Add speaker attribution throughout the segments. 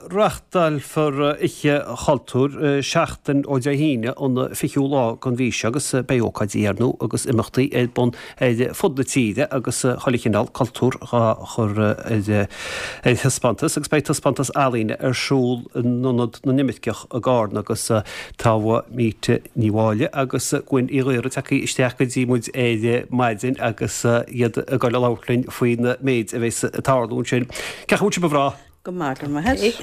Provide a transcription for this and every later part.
Speaker 1: Reáchtálfar Oíche Chultúir seachtain ó Dé hAoine an 20ú lá den mhí seo agus beidh ócáidí ar ndóigh agus imeachtaí ar bun ar fud na tíre agus chuile chineál cultúr á chur ar taispeántas agus beidh taispeántas ealaíne ar siúl in Ionad na nImirceach i gCarna agus tá Míte Ní Mháille agus Gwen Uí Ghaora tagtha isteach go dtí muid ar maidin agus iad ag dul a labhairt linn faoin méid a bheas ag tarlú ansin. Cén chaoi a bhfuil sibh a mhná?
Speaker 2: Go maith, go raibh maith agat.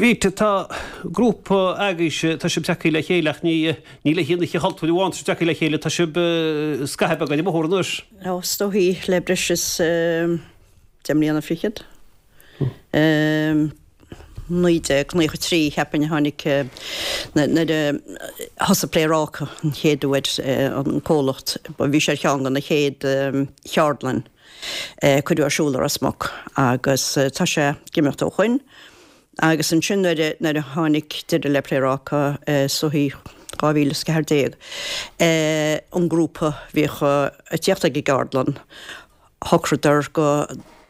Speaker 1: Mhíte, tá grúpa agaibhse, tá sibh tagtha le chéile ach ní ní le haghaidh an Oíche Chultúir amháin tá sibh tagtha le chéile, tá sibh scaitheamh beag ar an mbóthar anois.
Speaker 2: Ó, is dóichí le breis is deich mbliana fichead. 1993 cheapfainn a tháinig nuair a thosaigh Pléaráca an chéad uair an comhlacht, bhí sé ar cheann de na chéad cheardlann a cuireadh ar siúl i Ros Muc agus tá sé ag imeacht ó shoin agus ansin nuair a nuair a tháinig deireadh le Pléaráca is dóichí 2014 an grúpa a bhíodh ag tíocht ag an gceardlann shocraíodar go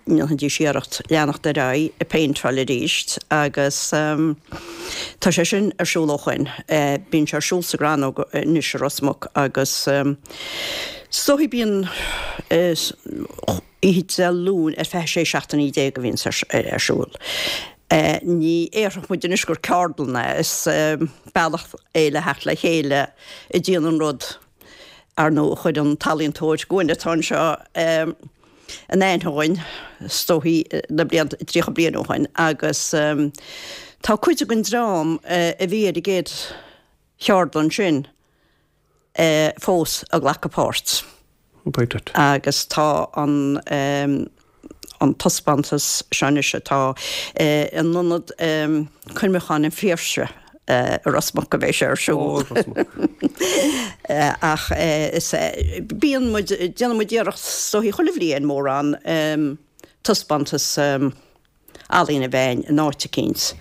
Speaker 2: ndéanfaidís iarracht leanacht ar aghaidh ag péinteáil arís agus tá sé sin ar siúl ó shoin. Bíonn sé ar siúl sa gCrannóg anois i Ros Muc agus is dóichí bíonn oíche Dé Luain ar feadh 16 seachtainí a bhíonn ar siúl. Ní déarfadh muid anois gur ceardlann é, is bealach é le theacht le chéile a déanamh an rud ar ndóigh a chuir an t-ealaíontóir Gwen atá anseo in aithne dhúinn, is dóichí, na blianta, 30 bliain ó shoin agus tá cuid den dream a bhí ar an gcéad cheardlann sin fós ag glacadh páirt. Agus tá an an taispeántas seo anois atá in Ionad Cuimhneacháin an Phiarsaigh i Ros Muc a bheidh sé ar siúl. Ach is bíonn muid, déanann muid iarracht is dóichí chuile bhliain mórán taispeántas ealaíne a bheith in áit eicínt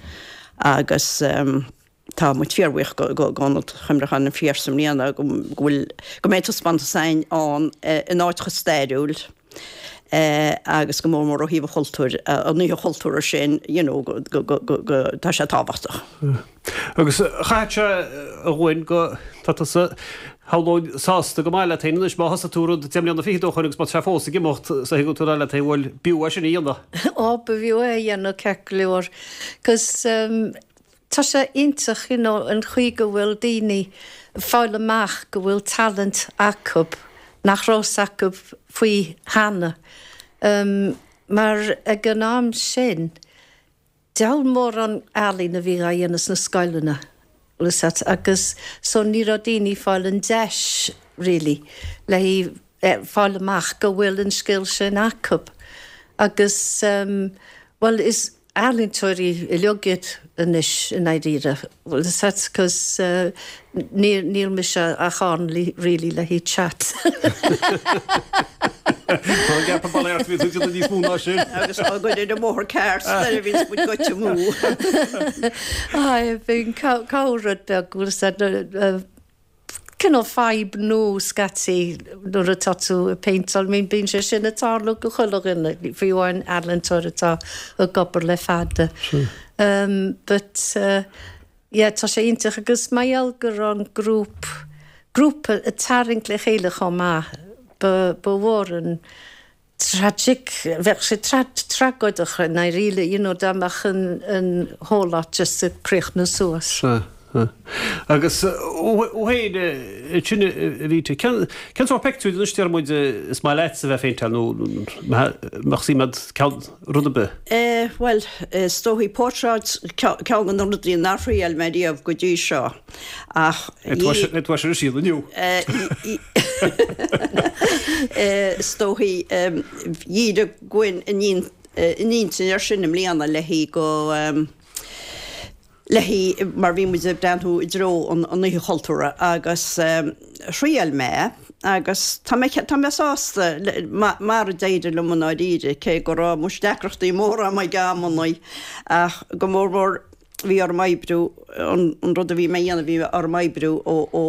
Speaker 2: agus Tá muid fíorbhuíoch go Ionad Chuimhneacháin an Phiarsaigh i mbliana go bhfuil, go mbeidh taispeántas againn ann in áit chomh stairiúil agus go mór mór ó thaobh an chultúir, an oíche chultúrtha sin, you know, go, go, go, go, go, tá sé tábhachtach.
Speaker 1: Agus chaithfeadh sé a Ghwen go, tá tusa, shamhlóinn, sásta go maith leat féin anois má thosaigh tú rud deich mbliana fichead ó shoin agus má tá sé fós ag imeacht, so thuigeann tú leat féin, bhuel, b'fhiú é sin a dhéanamh.
Speaker 3: Ó, b'fhiú é a dhéanamh ceart go leor, 'cause Tá sé iontach you know an chaoi go bhfuil daoine ag fáil amach go bhfuil talent acu nach raibh 's acu faoi cheana. Mar ag an am sin diabhal mórán ealaín a bhí á dhéanamh sna scoileanna bhfuil 'fhios a't agus so ní raibh daoine ag fáil an deis really le fáil amach go bhfuil an scil sin acu agus bhuel is ealaíontóirí uilig iad anois i ndáiríre, bhfuil 'fhios a't, 'cause níl, níl mise ach ann really le haghaidh chat.
Speaker 1: Tá an gap bail ort, bhí tú ag déanamh níos mó ná sin.
Speaker 2: Agus á gcur ar an mbóthar ceart nuair a bhíonns muid goite amú.
Speaker 3: Aye, bíonn cabhair rud beag, bhfuil 'fhios a't, cineál fadhb nua scaití nuair atá tú ag péinteáil. I mean bíonn sé sin ag tarlú go chuile dhuine, fiú amháin ealaíontóir atá ag obair le fada. Um but yeah tá sé iontach agus mar gheall go raibh an grúp, grúpa ag tarraingt le chéile chomh maith, ba ba mhór an tragic, bheadh sé tragóideach i ndáiríre, you know, dá mbeadh an an whole lot just ag críochnú suas.
Speaker 1: Sea, sea. Agus thú féin ansin a Mhíte, cén cén sórt pictiúir anois deir muid is maith leatsa a bheith ag péinteáil nó mbeadh suim agat ceann rud ar bith?
Speaker 2: Eh, bhuel, is dóichí portráid ceann de na rudaí nár thriail mé riamh go dtí seo ach.
Speaker 1: Beidh tú ar siúl inniu.
Speaker 2: Is dóichí dhírigh Gwen a n-intinn air sin i mbliana le haghaidh go le haghaidh mar bhí muid ag breathnú i dtreo an Oíche Chultúrtha agus thriail mé agus tá mé tá mé sásta mar a d'éirigh liom i ndáiríre cé go raibh muis deacrachtaí móra agam ag amannaí ach go mór mór bhí orm oibriú, an rud a bhí mé a dhéanamh, bhí orm oibriú ó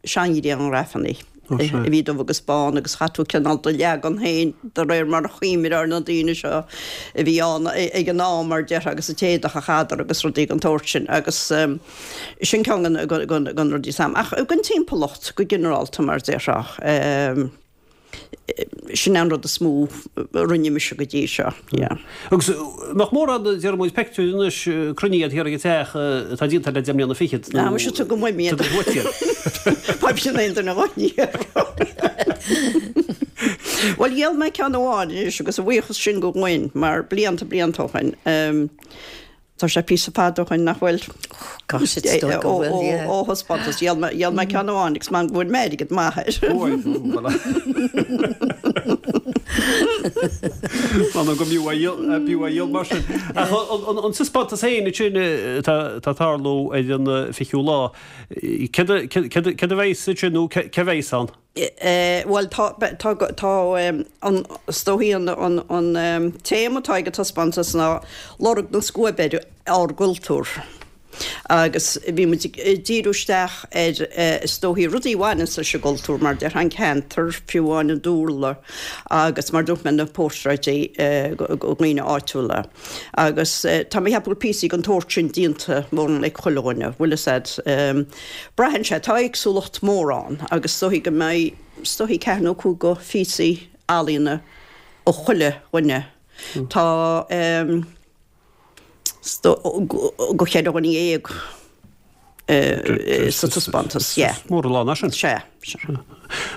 Speaker 2: seanghrianghrafanna. a bhí dubh agus bán agus chaith tú cineál do leagan féin de réir mar a chuimhneofá ar na daoine seo a bhí ann ag an am mar déarfá agus an t-éadach a chaitheadar agus rudaí den tsórt sin agus sin ceann de na rudaí is ach den timpeallacht go ginearálta mar déarfá. Sin an rud is mó a rinne mise go dtí seo, yeah.
Speaker 1: Agus nach mórán, déarfaidh muid, peictiúir anois cruinnithe thiar ag an teach atá déanta le deich mbliana fichead
Speaker 2: nó. Ah, muise tugaim uaim iad. Tugaim uait iad. Faighim sin aon duine dhá Bhuel, dhíol mé ceann amháin anois agus a bhuíochas sin go Gwen mar blianta blianta ó shin. Tá sé píosa fada ó shin nach bhfuil?
Speaker 3: Gosh, it's dóigh go bhfuil, yeah.
Speaker 2: Ó thaispeántas, dhíol mé, dhíol mé ceann amháin agus man go bhfuair mé airgead maith air.
Speaker 1: M'anam go mb'fhiú a dhíol, b'fhiú a dhíol mar sin. Ach an taispeántas féin ansin atá ag tarlú ar an 20ú lá, céard a, céard a bheas ansin nó cé a bheas ann?
Speaker 2: Bhuel, tá, tá, tá an, is dóichí an, an, an téama atá ag an taispeántas ná lorg na scuaibe ar ár gcultúr. Agus bhí muid ag díriú isteach ar, is dóichí, rudaí a bhaineanns leis an gcultúr, mar déarfá an ceantar, fiú amháin an dúlra agus mar dúirt mé na portráidí de dhaoine áitiúla. Agus tá mé ag ceapadh go bhfuil píosaí den tsórt sin déanta mórán ag chuile dhuine, bhfuil fhios a'd. Braitheann sé, tá éagsúlacht mór ann agus is dóichí go mbeidh, is dóichí ceathair nó cúig de phíosaí ealaíona ó chuile dhuine. Tá is dóigh go cheithre dhuine dhéag sa taispeántas, yeah.
Speaker 1: Is mór an lán é sin.
Speaker 2: Sea, sea.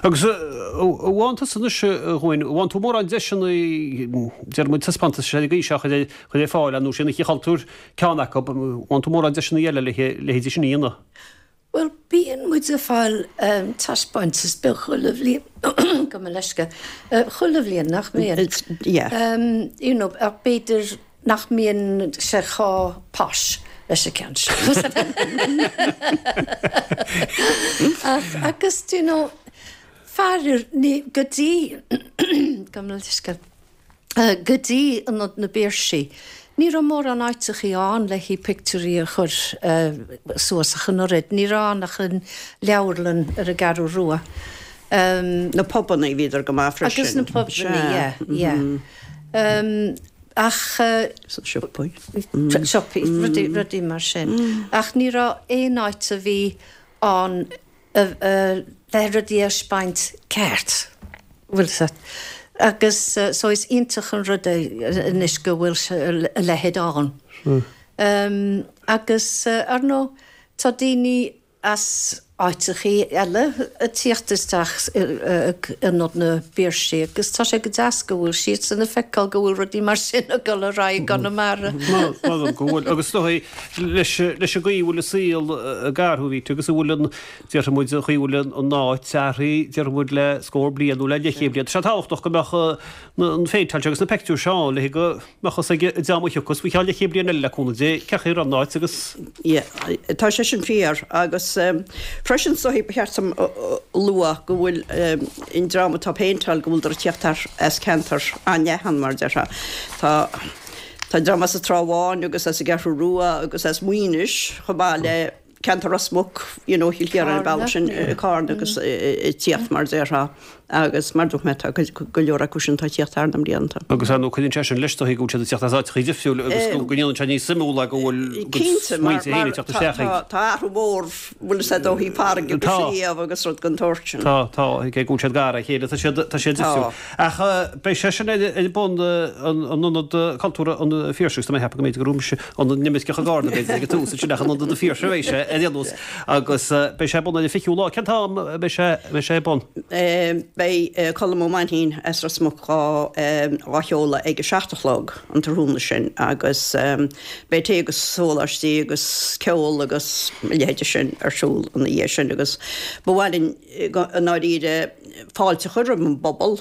Speaker 1: Agus an bhfaigheann tusa anois, a Ghwyn, an bhfaigheann tú mórán deiseanna, déarfaidh muid taispeántais ar an gcaoi seo a chur ar fáil, nó sin Oíche Chultúir ceann acu, an bhfaigheann tú mórán deiseanna eile le leithéidí sin a dhéanamh?
Speaker 3: Bhuel, bíonn muid ag fáil taispeántas beag chuile bhliain, gabh mo leithscéal, chuile bhliain, nach mbíonn?
Speaker 2: Yeah.
Speaker 3: You know, ach b'fhéidir nach mbíonn sé chomh posh leis an ceann seo. Ach, agus, do you know, faraor, ní, go dtí, gabh mo leithscéal. Go dtí Ionad na bPiarsaigh, ní raibh mórán áiteachaí ann le haghaidh pictiúirí a chur suas ach an oiread. Ní raibh ann ach an leabharlann ar an gCeathrú Rua.
Speaker 2: Na pubannaí, bhíodar go maith
Speaker 3: freisin. Agus na pubannaí, yeah, yeah. Ach.
Speaker 2: Siopaí.
Speaker 3: Siopaí, rudaí mar sin. Ach ní raibh aon áit a bhí ann le rudaí a thaispeáint ceart, bhfuil 'fhios a'd. Agus so is iontach an rud é anois go bhfuil a leithéid ann. Agus ar ndóigh tá daoine as áiteachaí eile ag tíocht isteach ag Ionad na bPiarsaigh agus tá sé go deas go bhfuil siadsan ag feiceáil go bhfuil rudaí mar sin ag dul ar aghaidh i
Speaker 1: gConamara. M'anam go bhfuil. Agus is dóigh leis an gcaoi a bhfuil an saol ag athrú, Rita, agus a bhfuil an, déarfaidh muid, an chaoi a bhfuil an áit athraithe, déarfaidh muid, le scór bliain nó le leathchéad bliain. Tá sé tábhachtach go mbeadh an phéinteáil seo agus na peictiúir seo ann le go mbeadh fhios ag an dream a thiocfas faoi cheann leathchéad bliain eile le cúnamh Dé cén chaoi a raibh an áit agus.
Speaker 2: Yeah, tá sé sin fíor agus freisin is dóichí ba cheart dom a lua go bhfuil an dream atá ag péinteáil go bhfuileadar ag tíocht as ceantar an-leathan mar a déarfá. Tá Tá dream as an Trá Bháin agus as an gCeathrú Rua agus as Muínis chomh maith le ceantar Ros Muc, you know, Chill Chiaráin an bealach sin, Carna agus ag tíocht mar a déarfá agus mar dúirt mé tá go leor acu sin atá ag tíocht thar na mblianta.
Speaker 1: Agus ar ndóigh cuireann sé sin leis is dóichí go bhfuil siad ag tíocht as áiteachaí difriúil agus go ndéanann sé níos suimiúla go bhfuil a gcuid smaointe féin ag teacht isteach
Speaker 2: ag. Tá athrú mór bhfuil fhios a'd ó thaobh farraige agus sliabh agus rud den tsórt
Speaker 1: sin. Tá, tá, cé go bhfuil siad gar dá chéile tá siad, tá siad difriúil. Ach beidh sé sin ar bun in Ionad Cultúrtha an Phiarsaigh, tá mé ag ceapadh go mb'fhéidir go raibh mise Ionad na nImirceach i gCarna b'fhéidir ag an tús ansin ach in Ionad an Phiarsaigh a bheidh sé ar aon nós agus beidh sé ar bun ar an 20ú lá. Cén t-am a bheidh sé, beidh sé ar bun?
Speaker 2: Beidh Colm Ó Mainchín as Ros Muc dhá sheoladh ag a 7 a chlog an tráthnóna sin agus beidh tae agus sóláistí agus ceol agus a leithéide sin ar siúl ina dhiaidh sin agus ba mhaith linn i ndáiríre. Fáilte a chur roimh an bpobal,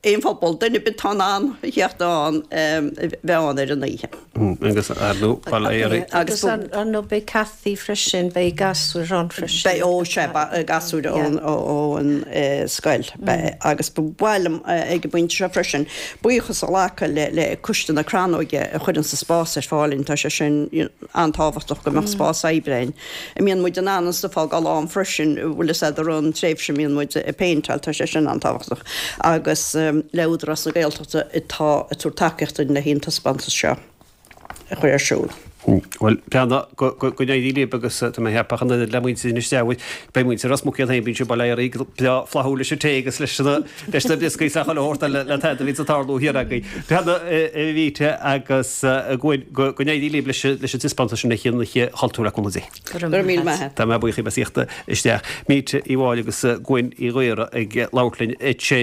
Speaker 2: aon phobal, duine ar bith atá in ann a theacht ann, bheith ann ar an oíche.
Speaker 1: Agus ar ndóigh, bail ó Dhia oraibh.
Speaker 3: Agus ar ndóigh beidh Cathy freisin, beidh gasúir ann freisin.
Speaker 2: Beidh, ó sea, beidh gasúir ann ón scoil. Beidh. Agus ba mhaith liom ag an bpointe seo freisin buíochas a ghlacadh le Coiste na Crannóige a chuireanns an spás ar fáil dúinn. Tá sé sin an-tábhachtach go mbeadh spás oibre againn. a mbíonn muid in ann an stuif a fhágáil ann freisin, bhfuil fhios a'd, i rith an tréimhse a mbíonn muid ag péinteáil, tá sé sin an-tábhachtach. Agus le Údarás na Gaeltachta atá ag tabhairt tacaíocht dúinn le an taispeántas seo a chur ar siúl.
Speaker 1: Bhuel, breathnaigh, go n-éirí libh agus tá mé ag ceapadh an oiread le muintir Inis Treabhair, beidh muintir Ros Muc iad féin, bíonn siad bail ó Dhia orthu breá flaithiúil leis an tae agus leis na leis na brioscaí is le chuile shórt eile le tada a bhíonns ag tarlú thiar agaibh. Breathnaigh, a Mhíte agus a Gwen, go n-éirí libh leis an taispeántas sin ag Oíche Chultúir le cúnamh Dé.
Speaker 2: Go raibh míle maith a't.
Speaker 1: Tá mé buíoch as a theacht isteach. Míte Uí Mháille agus Gwen Uí Ghaora ag labhairt linn ansin.